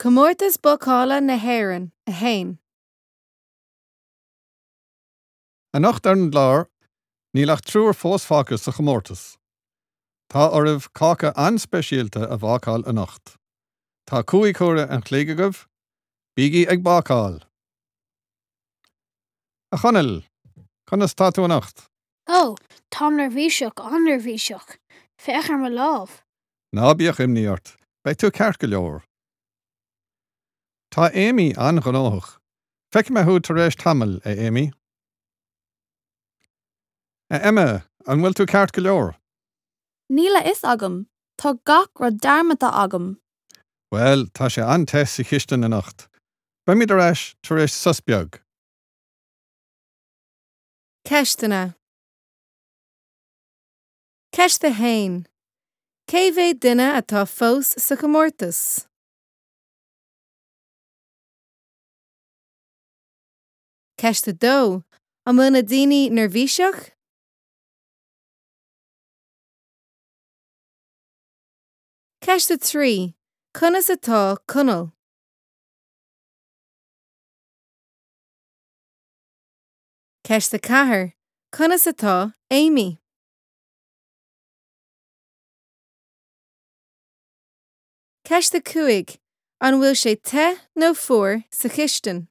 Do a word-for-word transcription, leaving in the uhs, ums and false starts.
Comórtas Bácála na hÉireann a haon. Anocht ar an gclár, níl ach triúr fós fágtha sa chomórtas. Tá oraibh cáca an-speisialta a bhácáil anocht. Tá cúig huaire an chloig agaibh, bígí ag bácáil! A Chonaill, conas tá tú anocht? Ó, táim neirbhíseach an-neirbhíseach. Féach ar mo lámh. Ná bíodh imní ort, beidh tú ceart go leor. Tá Amy an-ghnóthach. Feicfidh mé thú tar éis tamaill, a Amy. A Emma, an bhfuil tú ceart go leor? Níl a fhios agam, tá gach rud dearmadta agam. Well, tá sé an-te sa chistin anocht. Beimid ar ais tar éis sos beag. Ceisteanna Ceist a haon. Cé mhéad duine atá fós sa chomórtas? Ceist a dó. An bhfuil na daoine neirbhíseach? Ceist a trí. Conas atá Conall? Ceist a ceathair. Conas atá Amy? Ceist a cúig. An bhfuil sé te nó fuar sa chistin?